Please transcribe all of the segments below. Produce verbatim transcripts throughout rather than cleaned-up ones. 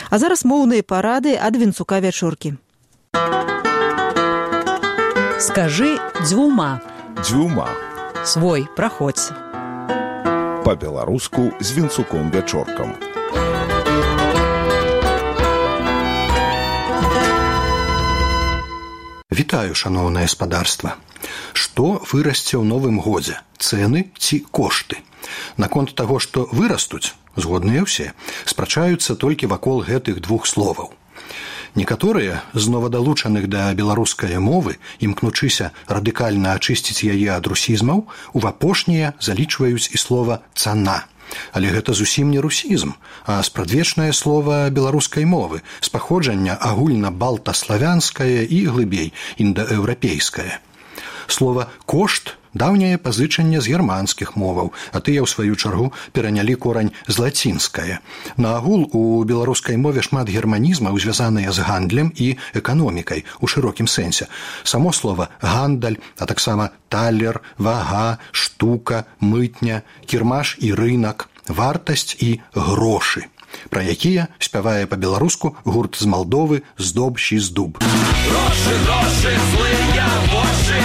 А зараз моўныя парады ад Вінцука Вячоркі. Скажи дзвюма. Дзвюма. Свой, праходзь. Па-беларуску з Вінцуком Вячоркам. Вітаю, шаноўнае спадарства. Што вырасце ў новым годзе? Цэны ці кошты? Наконт таго, што вырастуць, згодныя ўсе, спрачаюцца толькі вакол гэтых двух словаў. Некаторыя з новадалучаных да беларускай мовы, імкнучыся радыкальна ачысціць яе ад русізмаў, у апошнія залічваюць і слова «цана». Але гэта зусім не русізм, а спрадвечнае слова беларускай мовы, з паходжання агульна-балтаславянскае і глыбей індаеўрапейскае. Слова «кошт» даўняе пазычанне з германскіх моваў, а тыя, ў сваю чаргу, перанялі корань з лацінскае. Наагул у беларускай мове шмат германізмаў, звязаныя з гандлем і эканомікай у шырокім сэнсе. Само слова «гандаль», а таксама «талер», «вага», «штука», «мытня», «кірмаш» і «рынак», «вартасць» і «грошы», пра якія спявае па-беларуску гурт з Малдовы «Здоб щі здуб». Грошы, грошы, злыя вочы.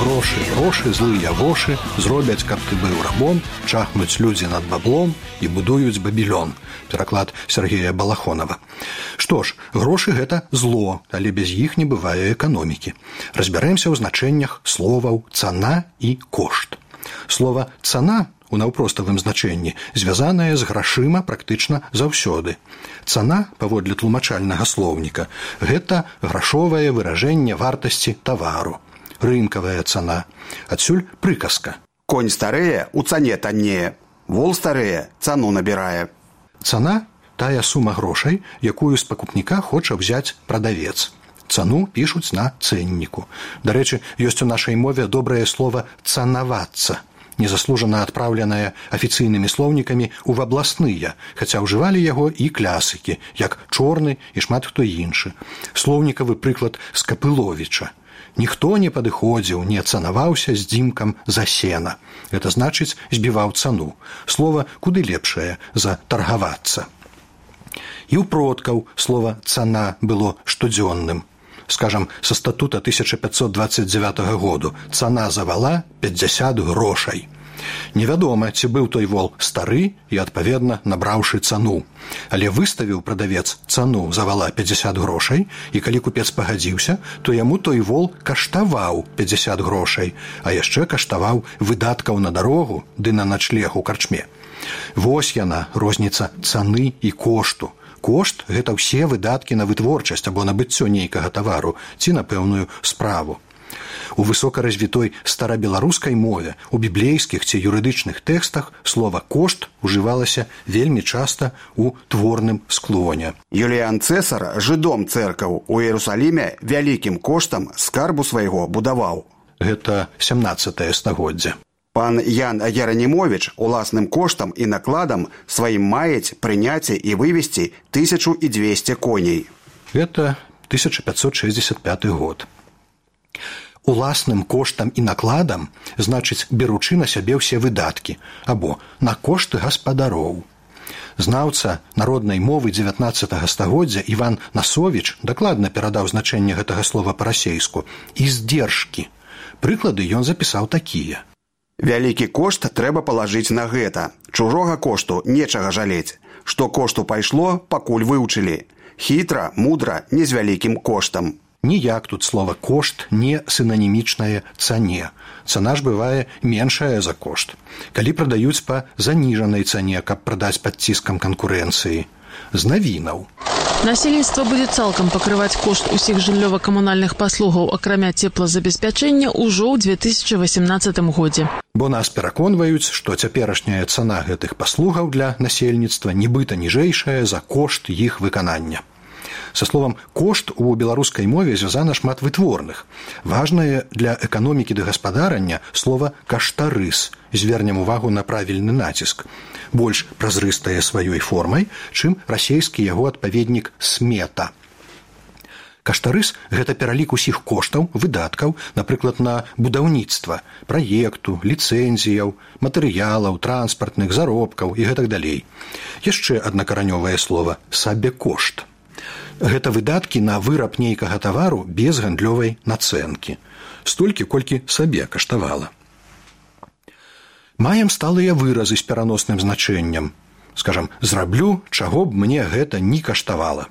Грошы, грошы, злыя вошы, зробяць, каб ты быў рабом, чахнуць людзі над баблом і будуюць бабілён. Пераклад Сергея Балахонова. Што ж, грошы – гэта зло, але без іх не бывае эканомікі. Разбярэмся ў значэннях словаў «цана» і «кошт». Слова «цана» у наўпроставым значэнні звязанае з грашыма практычна заўсёды. Цана, паводле тлумачальнага слоўніка, гэта грашовае выражэнне вартасці тавару. Рынкавая цана. Адсюль прыказка. Конь старэе, у цане таннее. Вол старэе, цану набірае. Цана – тая сума грошай, якую з пакупніка хоча взяць прадавец. Цану пішуць на цэнніку. Дарэчы, ёсць у нашай мове добрае слова «цанавацца», незаслужана адпраўленае афіцыйнымі слоўнікамі ў абласныя, хаця ўжывалі яго і клясыкі, як Чорны і шмат хто іншы. Слоўнікавы прыклад Скапыловіча. Ніхто не падыходзіў, не цанаваўся з дзімкам за сена. Гэта значыць, збіваў цану. Слова куды лепшае за таргавацца. І ў продкаў слова «цана» было штодзённым. Скажам, са статута тысяча пятьсот двадцать девятого году цана за вала пятьдесят грошай. Невядома, ці быў той вол стары і, адпаведна, набраўшы цану. Але выставіў прадавец цану за вала пятьдесят грошай, і калі купец пагадзіўся, то яму той вол каштаваў пятьдесят грошай, а яшчэ каштаваў выдаткаў на дарогу ды на начлег у карчме. Вось яна, розніца цаны і кошту. Кошт – гэта ўсе выдаткі на вытворчасць або набыццё нейкага тавару ці на пэўную справу. У высокаразвітой старабеларускай мове, у біблейскіх ці юрыдычных тэкстах слова «кошт» ужывалася вельмі часта ў творным склоне. Юліян Цэсар жыдом цэркаў у Іерусаліме вялікім коштам скарбу свайго будаваў. Гэта сямнаццатае стагоддзе. Пан Ян Геранімовіч уласным коштам і накладам сваім маець прыняць і вывесці тысячу і дзвесце коней. Гэта тысяча пятьсот шестьдесят пятый год. Уласным коштам і накладам значыць беручы на сябе ўсе выдаткі або на кошты гаспадароў. Знаўца народнай мовы дзевятнаццатага стагоддзя Іван Насовіч дакладна перадаў значэнне гэтага слова па-расейску «издержкі». Прыклады ён запісаў такія. Вялікі кошт трэба палажыць на гэта. Чужога кошту нечага жалець. Што кошту пайшло, пакуль вывучылі. Хітра, мудра, не з вялікім коштам. Ніяк тут слова «кошт» не синонімічнае цане. Цана ж бывае меншая за кошт. Калі прадаюць па заніжанай цане, каб прадаць пад ціскам канкурэнцыі. З навінаў. Насельніцтва будзе цалкам пакрываць кошт усіх жыллёва-камунальных паслугаў, акрамя цеплазабеспячэння, ўжо ў две тысячы восемнадцатым годзе. Бо нас пераконваюць, што цяперашняя цана гэтых паслугаў для насельніцтва нібыта ніжэйшая за кошт іх выканання. Са словам «кошт» у беларускай мове звязана шмат вытворных. Важнае для эканомікі ды гаспадарання слова «каштарыс». Звернем увагу на правільны націск. Больш празрыстае сваёй формай, чым расейскі яго адпаведнік «смета». Каштарыс – гэта пералік усіх коштаў, выдаткаў, напрыклад, на будаўніцтва, праекту, ліцэнзіяў, матэрыялаў, транспартных, заробкаў і гэтак далей. Яшчэ аднакаранёвае слова – сабекошт. Гэта выдаткі на выраб нейкага тавару без гандлёвай нацэнкі. Столькі, колькі сабе каштавала. Маем сталыя выразы з пераносным значэннем. Скажам, зраблю, чаго б мне гэта не каштавала.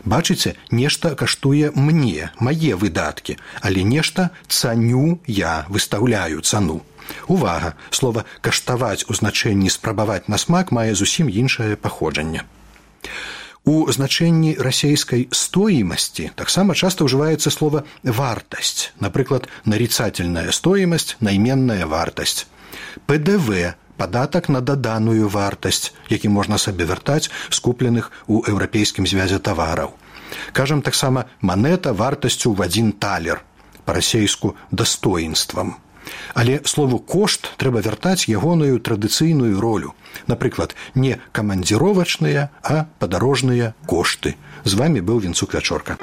Бачыце, нешта каштуе мне, мае выдаткі, але нешта цаню я, выстаўляю цану. Увага, слова «каштаваць» у значэнні «спрабаваць на смак» мае зусім іншае паходжанне. У значэнні расейскай стоімасці таксама часта ўжываецца слова «вартасць», напрыклад, нарицательная стоимость, найменная вартасць. пэ дэ вэ – падатак на даданую вартасць, які можна сабе вяртаць з купленых у Еўрапейскім звязе тавараў. Кажам таксама манета вартасцю ў адзін талер, па-расейску дастоінствам. Але слову «кошт» трэба вяртаць ягоную традыцыйную ролю. Напрыклад, не камандзіровачныя, а падарожныя кошты. З вамі быў Вінцук Вячорка.